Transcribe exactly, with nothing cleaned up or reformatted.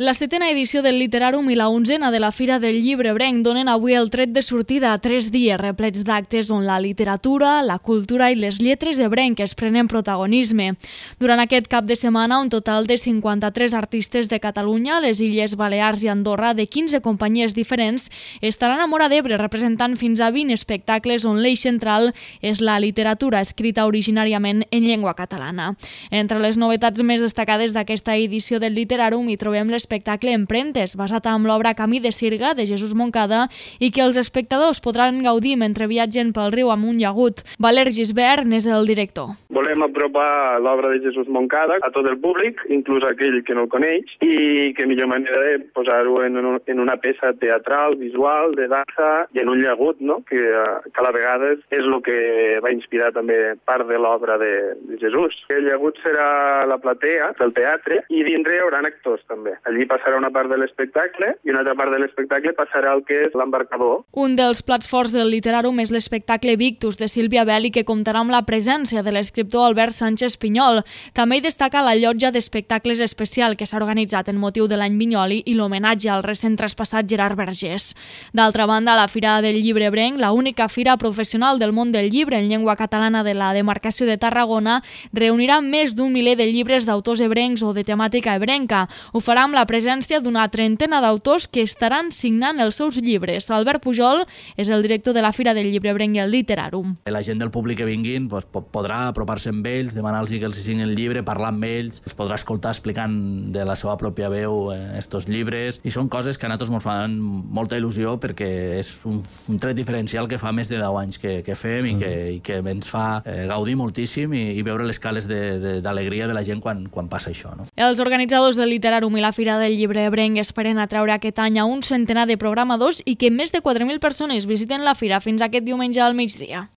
La setena edició del Literàrum i la onzena de la Fira del Llibre Ebrenc donen avui el tret de sortida a tres dies replets d'actes on la literatura, la cultura i les lletres ebrenques prenen protagonisme. Durant aquest cap de setmana, un total de cinquanta-tres artistes de Catalunya, les Illes Balears i Andorra, de quinze companyies diferents, estaran a Móra d'Ebre representant fins a vint espectacles on l'eix central és la literatura escrita originàriament en llengua catalana. Entre les novetats més destacades d'aquesta edició del Literàrum hi trobem les l'espectacle Empremtes, basat en l'obra Camí de Sirga, de Jesús Moncada, i que els espectadors podran gaudir mentre viatgen pel riu amunt i agut. Valer Gisbert n'és el director. Volem apropar l'obra de Jesús Moncada a tot el públic, inclús aquell que no el coneix, i que millor manera de posar-ho en, un, en una peça teatral, visual, de dansa i en un llagut, no? que, que a la vegada és el que va inspirar també part de l'obra de, de Jesús. El llagut serà la platea del teatre i dintre hi haurà actors també. Allí passarà una part de l'espectacle i una altra part de l'espectacle passarà el que és l'embarcador. Un dels plats forts del Literàrum és l'espectacle Victus de Sílvia Belli, que comptarà amb la presència de l'escriptor Albert Sánchez Pinyol. També hi destaca la llotja d'espectacles especial que s'ha organitzat en motiu de l'any Vinyoli i l'homenatge al recent traspassat Gerard Vergés. D'altra banda, la Fira del Llibre Ebrenc, la única fira professional del món del llibre en llengua catalana de la demarcació de Tarragona, reunirà més d'un miler de llibres d'autors ebrencs o de temàtica ebrenca. Ho farà amb la presència d'una trentena d'autors que estaran signant els seus llibres. Albert Pujol és el director de la Fira del Llibre Ebrenc i el Literàrum. La gent del públic que vinguin doncs, podrà apropar-se amb ells, demanar-los que els signin el llibre, parlar amb ells, els podrà escoltar explicant de la seva pròpia veu estos llibres, i són coses que a nosaltres ens fan molta il·lusió perquè és un, un tret diferencial que fa més de deu anys que, que fem i que, i que ens fa eh, gaudir moltíssim i, i veure les cales d'alegria de, de, de la gent quan, quan passa això. No? Els organitzadors del Literàrum i la Fira del Llibre Ebrenc esperen atraure aquest any a un centenar de programadors i que més de quatre mil persones visiten la fira fins aquest diumenge al migdia.